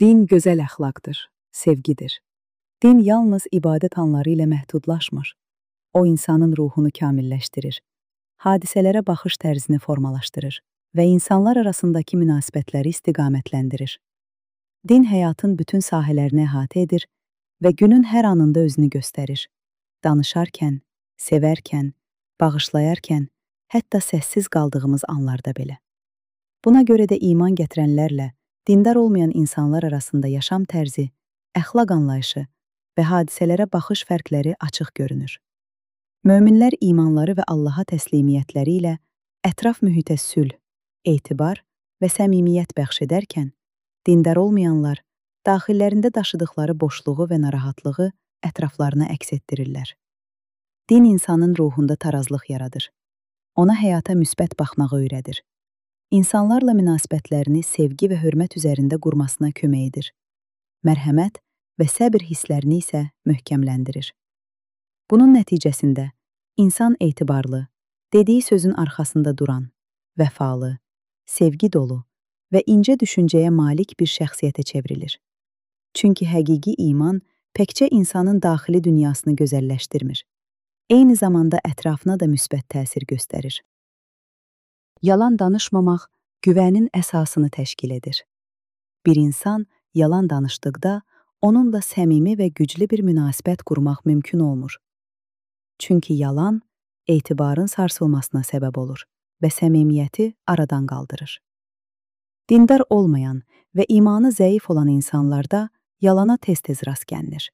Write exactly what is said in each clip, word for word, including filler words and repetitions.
Din gözəl əxlaqdır, sevgidir. Din yalnız ibadət anları ilə məhdudlaşmır. O, insanın ruhunu kamilləşdirir, hadisələrə baxış tərzini formalaşdırır və insanlar arasındakı münasibətləri istiqamətləndirir. Din həyatın bütün sahələrini əhatə edir və günün hər anında özünü göstərir. Danışarkən, sevərkən, bağışlayarkən, hətta səssiz qaldığımız anlarda belə. Buna görə də iman gətirənlərlə dindar olmayan insanlar arasında yaşam tərzi, əxlaq anlayışı və hadisələrə baxış fərqləri açıq görünür. Möminlər imanları və Allaha təslimiyyətləri ilə ətraf mühitə sülh, etibar və səmimiyyət bəxş edərkən, dindar olmayanlar daxillərində daşıdıqları boşluğu və narahatlığı ətraflarına əks etdirirlər. Din insanın ruhunda tarazlıq yaradır. Ona həyata müsbət baxmağı öyrədir. İnsanlarla münasibətlərini sevgi və hörmət üzərində qurmasına kömək edir. Mərhəmət və səbir hisslərini isə möhkəmləndirir. Bunun nəticəsində insan etibarlı, dediyi sözün arxasında duran, vəfalı, sevgi dolu və incə düşüncəyə malik bir şəxsiyyətə çevrilir. Çünki həqiqi iman təkcə insanın daxili dünyasını gözəlləşdirmir, eyni zamanda ətrafına da müsbət təsir göstərir. Yalan danışmamaq güvənin əsasını təşkil edir. Bir insan yalan danışdıqda onunla səmimi və güclü bir münasibət qurmaq mümkün olmur. Çünki yalan etibarın sarsılmasına səbəb olur və səmimiyyəti aradan qaldırır. Dindar olmayan və imanı zəif olan insanlarda yalana tez-tez rast gəlinir.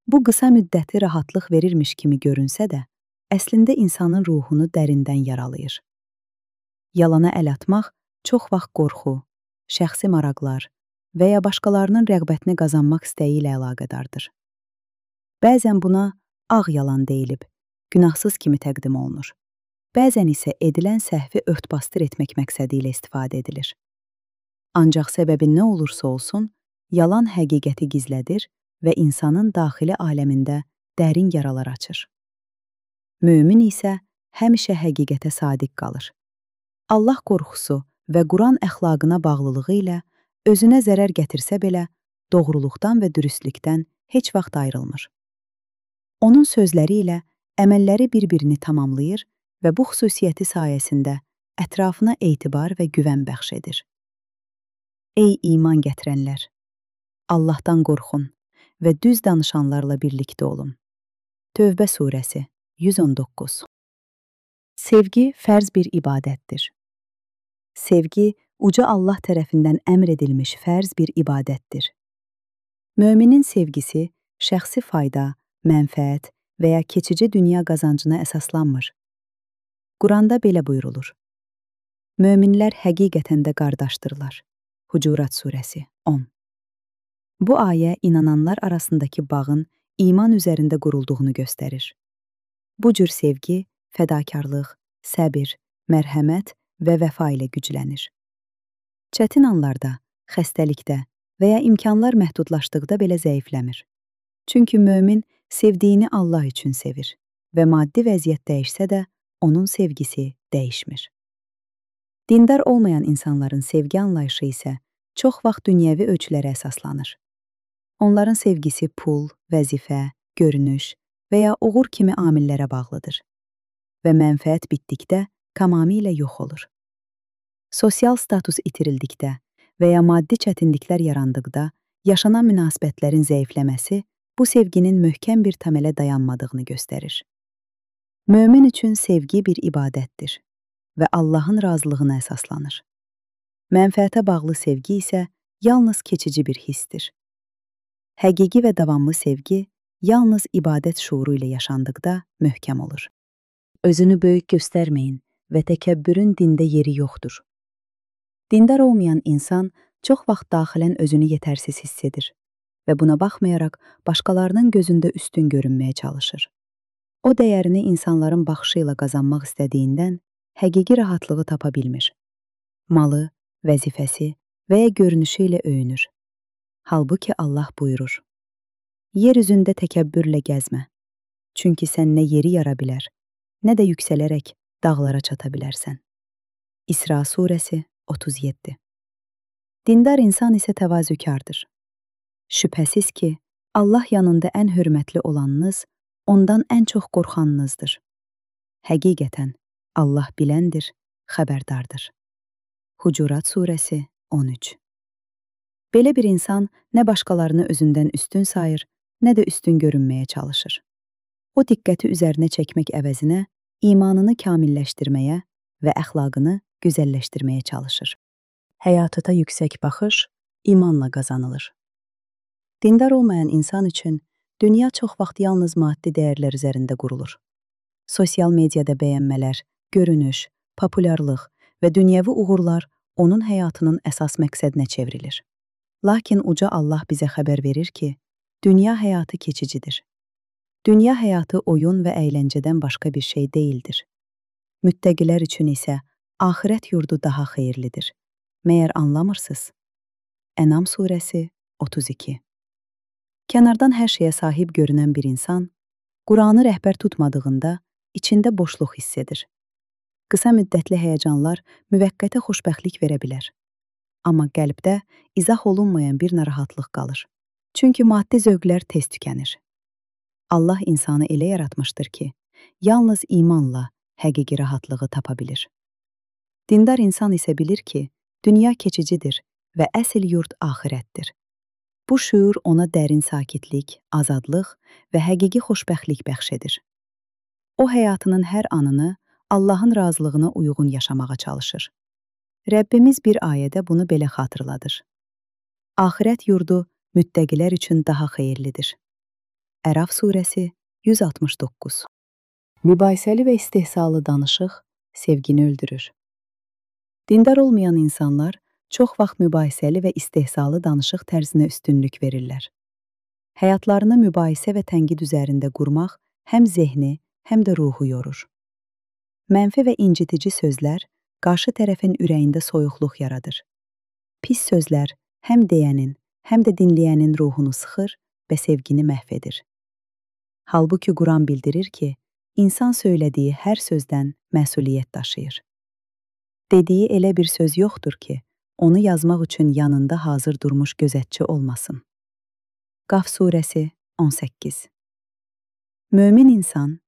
Bu qısa müddətli rahatlıq verirmiş kimi görünsə də, əslində insanın ruhunu dərindən yaralayır. Yalana əl atmaq çox vaxt qorxu, şəxsi maraqlar və ya başqalarının rəğbətini qazanmaq istəyi ilə əlaqədardır. Bəzən buna ağ yalan deyilib, günahsız kimi təqdim olunur. Bəzən isə edilən səhvi ört-basdır etmək məqsədi ilə istifadə edilir. Ancaq səbəbi nə olursa olsun, yalan həqiqəti gizlədir və insanın daxili aləmində dərin yaralar açır. Mömin isə həmişə həqiqətə sadiq qalır. Allah qorxusu və Quran əxlaqına bağlılığı ilə özünə zərər gətirsə belə, doğruluqdan və dürüstlükdən heç vaxt ayrılmır. Onun sözləri ilə əməlləri bir-birini tamamlayır və bu xüsusiyyəti sayəsində ətrafına etibar və güvən bəxş edir. Ey iman gətirənlər! Allahdan qorxun və düz danışanlarla birlikdə olun. Tövbə surəsi yüz on doqquz. Sevgi fərz bir ibadətdir. Sevgi, uca Allah tərəfindən əmr edilmiş fərz bir ibadətdir. Möminin sevgisi şəxsi fayda, mənfəət və ya keçici dünya qazancına əsaslanmır. Quranda belə buyurulur. Möminlər həqiqətən də qardaşdırlar. Hucurat surəsi on. Bu ayə inananlar arasındakı bağın iman üzərində qurulduğunu göstərir. Bu cür sevgi, fədakarlıq, səbir, mərhəmət və vəfa ilə güclənir. Çətin anlarda, xəstəlikdə və ya imkanlar məhdudlaşdıqda belə zəifləmir. Çünki mömin sevdiyini Allah üçün sevir və maddi vəziyyət dəyişsə də onun sevgisi dəyişmir. Dindar olmayan insanların sevgi anlayışı isə çox vaxt dünyəvi ölçülərə əsaslanır. Onların sevgisi pul, vəzifə, görünüş və ya uğur kimi amillərə bağlıdır və mənfəət bitdikdə tamamilə yox olur. Sosial status itirildikdə və ya maddi çətinliklər yarandıqda yaşanan münasibətlərin zəifləməsi bu sevginin möhkəm bir təmələ dayanmadığını göstərir. Mömin üçün sevgi bir ibadətdir və Allahın razılığına əsaslanır. Mənfəətə bağlı sevgi isə yalnız keçici bir hissdir. Həqiqi və davamlı sevgi yalnız ibadət şuuru ilə yaşandıqda möhkəm olur. Özünü böyük göstərməyin və təkəbbürün dində yeri yoxdur. Dindar olmayan insan çox vaxt daxilən özünü yetərsiz hiss edir və buna baxmayaraq başqalarının gözündə üstün görünməyə çalışır. O dəyərini insanların baxışı ilə qazanmaq istədiyindən həqiqi rahatlığı tapa bilmir. Malı, vəzifəsi və ya görünüşü ilə öyünür. Halbuki Allah buyurur: Yer üzündə təkəbbürlə gəzmə, çünki sən nə yeri yara bilər, nə də yüksələrək dağlara çata bilərsən. İsra surəsi otuz yeddi. Dindar insan isə təvazökardır. Şübhəsiz ki, Allah yanında ən hörmətli olanınız, ondan ən çox qorxanınızdır. Həqiqətən, Allah biləndir, xəbərdardır. Hucurat surəsi on üç. Belə bir insan nə başqalarını özündən üstün sayır, nə də üstün görünməyə çalışır. O diqqəti üzərinə çəkmək əvəzinə imanını kamilləşdirməyə və əxlaqını gözəlləşdirməyə çalışır. Həyatına yüksək baxış imanla qazanılır. Dindar olmayan insan üçün dünya çox vaxt yalnız maddi dəyərlər üzərində qurulur. Sosial mediada bəyənmələr, görünüş, populyarlıq və dünyəvi uğurlar onun həyatının əsas məqsədinə çevrilir. Lakin uca Allah bizə xəbər verir ki, dünya həyatı keçicidir. Dünya həyatı oyun və əyləncədən başqa bir şey deyildir. Müttəqilər üçün isə axirət yurdu daha xeyirlidir. Məyər anlamırsınız? Ənam surəsi otuz iki. Kənardan hər şeyə sahib görünən bir insan, Quranı rəhbər tutmadığında içində boşluq hiss edir. Qısa müddətli həyəcanlar müvəqqəti xoşbəxtlik verə bilər. Amma qəlbdə izah olunmayan bir narahatlıq qalır. Çünki maddi zövqlər tez tükənir. Allah insanı elə yaratmışdır ki, yalnız imanla həqiqi rahatlığı tapa bilir. Dindar insan isə bilir ki, dünya keçicidir və əsl yurd axirətdir. Bu şüur ona dərin sakitlik, azadlıq və həqiqi xoşbəxtlik bəxş edir. O həyatının hər anını Allahın razılığına uyğun yaşamağa çalışır. Rəbbimiz bir ayədə bunu belə xatırladır. Axirət yurdu müttəqilər üçün daha xeyirlidir. Əraf surəsi yüz altmış doqquz. Mübahisəli və istehzalı danışıq sevgini öldürür. Dindar olmayan insanlar çox vaxt mübahisəli və istehzalı danışıq tərzinə üstünlük verirlər. Həyatlarını mübahisə və tənqid üzərində qurmaq həm zehni, həm də ruhu yorur. Mənfi və incitici sözlər qarşı tərəfin ürəyində soyuqluq yaradır. Pis sözlər həm deyənin, həm də dinləyənin ruhunu sıxır və sevgini məhv edir. Halbuki Quran bildirir ki, insan söylədiyi hər sözdən məsuliyyət daşıyır. Dediyi elə bir söz yoxdur ki, onu yazmaq üçün yanında hazır durmuş gözətçi olmasın. Qaf surəsi on səkkiz. Mömin insan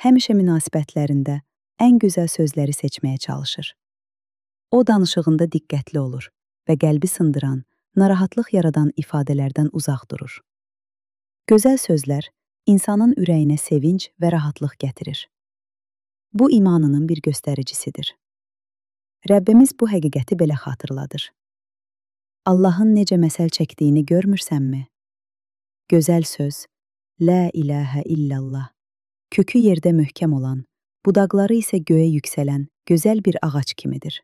həmişə münasibətlərində ən gözəl sözləri seçməyə çalışır. O danışığında diqqətli olur və qəlbi sındıran, narahatlıq yaradan ifadələrdən uzaq durur. Gözəl sözlər insanın ürəyinə sevinc və rahatlıq gətirir. Bu imanının bir göstəricisidir. Rəbbimiz bu həqiqəti belə xatırladır. Allahın necə məsəl çəkdiyini görmürsənmi? Gözəl söz, Lə iləhə illallah, kökü yerdə möhkəm olan, budaqları isə göyə yüksələn gözəl bir ağac kimidir.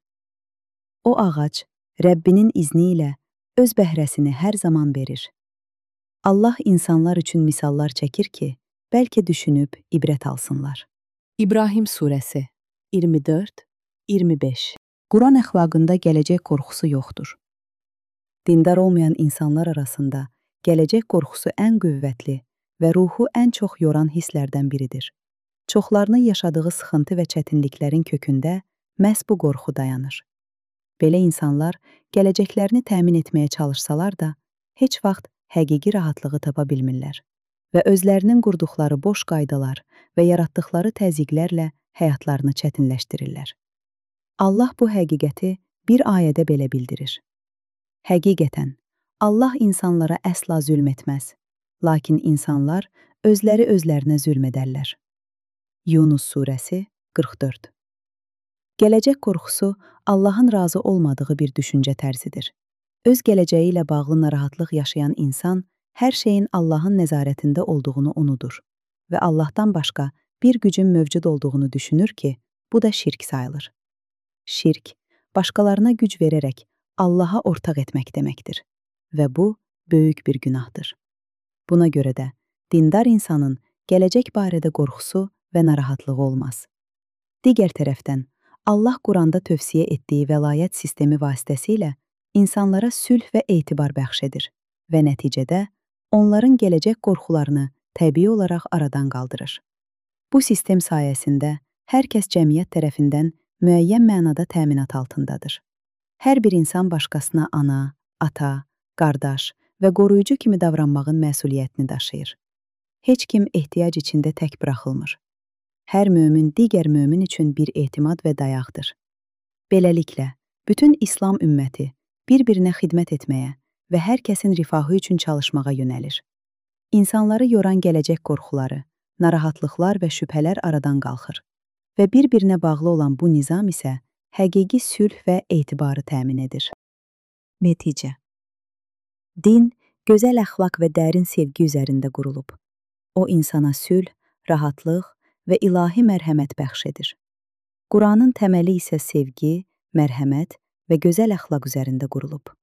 O ağac, Rəbbinin izni ilə öz bəhrəsini hər zaman verir. Allah insanlar üçün misallar çəkir ki, bəlkə düşünüb ibrət alsınlar. İbrahim surəsi iyirmi dörd iyirmi beş. Quran əxlaqında gələcək qorxusu yoxdur. Dindar olmayan insanlar arasında gələcək qorxusu ən qüvvətli və ruhu ən çox yoran hisslərdən biridir. Çoxlarının yaşadığı sıxıntı və çətinliklərin kökündə məhz bu qorxu dayanır. Belə insanlar gələcəklərini təmin etməyə çalışsalar da, heç vaxt həqiqi rahatlığı tapa bilmirlər və özlərinin qurduqları boş qaydalar və yaratdıqları təzyiqlərlə həyatlarını çətinləşdirirlər. Allah bu həqiqəti bir ayədə belə bildirir. Həqiqətən, Allah insanlara əsla zülm etməz, lakin insanlar özləri özlərinə zülm edərlər. Yunus surəsi qırx dörd. Gələcək qorxusu Allahın razı olmadığı bir düşüncə tərzidir. Öz gələcəyi ilə bağlı narahatlıq yaşayan insan hər şeyin Allahın nəzarətində olduğunu unudur və Allahdan başqa bir gücün mövcud olduğunu düşünür ki, bu da şirk sayılır. Şirk, başqalarına güc verərək Allaha ortaq etmək deməkdir və bu, böyük bir günahdır. Buna görə də, dindar insanın gələcək barədə qorxusu və narahatlığı olmaz. Digər tərəfdən, Allah Quranda tövsiyə etdiyi vəlayət sistemi vasitəsilə insanlara sülh və etibar bəxş edir və nəticədə onların gələcək qorxularını təbii olaraq aradan qaldırır. Bu sistem sayəsində hər kəs cəmiyyət tərəfindən müəyyən mənada təminat altındadır. Hər bir insan başqasına ana, ata, qardaş və qoruyucu kimi davranmağın məsuliyyətini daşıyır. Heç kim ehtiyac içində tək buraxılmır. Hər mömin digər mömin üçün bir etimad və dayaqdır. Beləliklə, bütün İslam ümməti bir-birinə xidmət etməyə və hər kəsin rifahı üçün çalışmağa yönəlir. İnsanları yoran gələcək qorxuları, narahatlıqlar və şübhələr aradan qalxır və bir-birinə bağlı olan bu nizam isə həqiqi sülh və etibarı təmin edir. Nəticə: din, gözəl əxlaq və dərin sevgi üzərində qurulub. O, insana sülh, rahatlıq və ilahi mərhəmət bəxş edir. Quranın təməli isə sevgi, mərhəmət və gözəl əxlaq üzərində qurulub.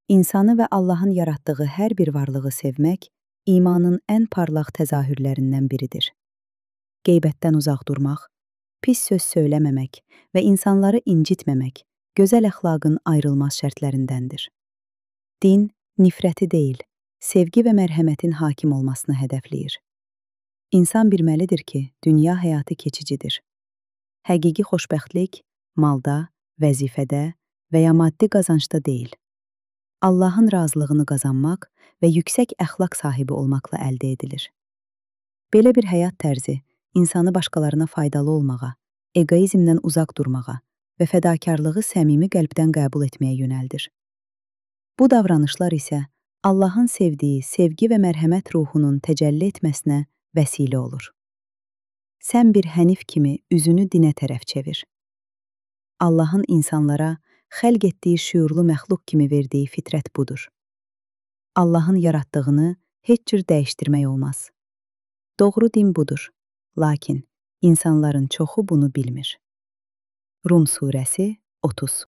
İnsanı və Allahın yaratdığı hər bir varlığı sevmək imanın ən parlaq təzahürlərindən biridir. Qeybətdən uzaq durmaq, pis söz söyləməmək və insanları incitməmək gözəl əxlaqın ayrılmaz şərtlərindəndir. Din, nifrəti deyil, sevgi və mərhəmətin hakim olmasını hədəfləyir. İnsan bilməlidir ki, dünya həyatı keçicidir. Həqiqi xoşbəxtlik malda, vəzifədə və ya maddi qazancda deyil. Allahın razılığını qazanmaq və yüksək əxlaq sahibi olmaqla əldə edilir. Belə bir həyat tərzi insanı başqalarına faydalı olmağa, egoizmdən uzaq durmağa və fədakarlığı səmimi qəlbdən qəbul etməyə yönəldir. Bu davranışlar isə Allahın sevdiyi sevgi və mərhəmət ruhunun təcəlli etməsinə vəsilə olur. Sən bir hənif kimi üzünü dinə tərəf çevir. Allahın insanlara xəlq etdiyi şüurlu məxluq kimi verdiyi fitrət budur. Allahın yaratdığını heç cür dəyişdirmək olmaz. Doğru din budur, lakin insanların çoxu bunu bilmir. Rum surəsi otuz.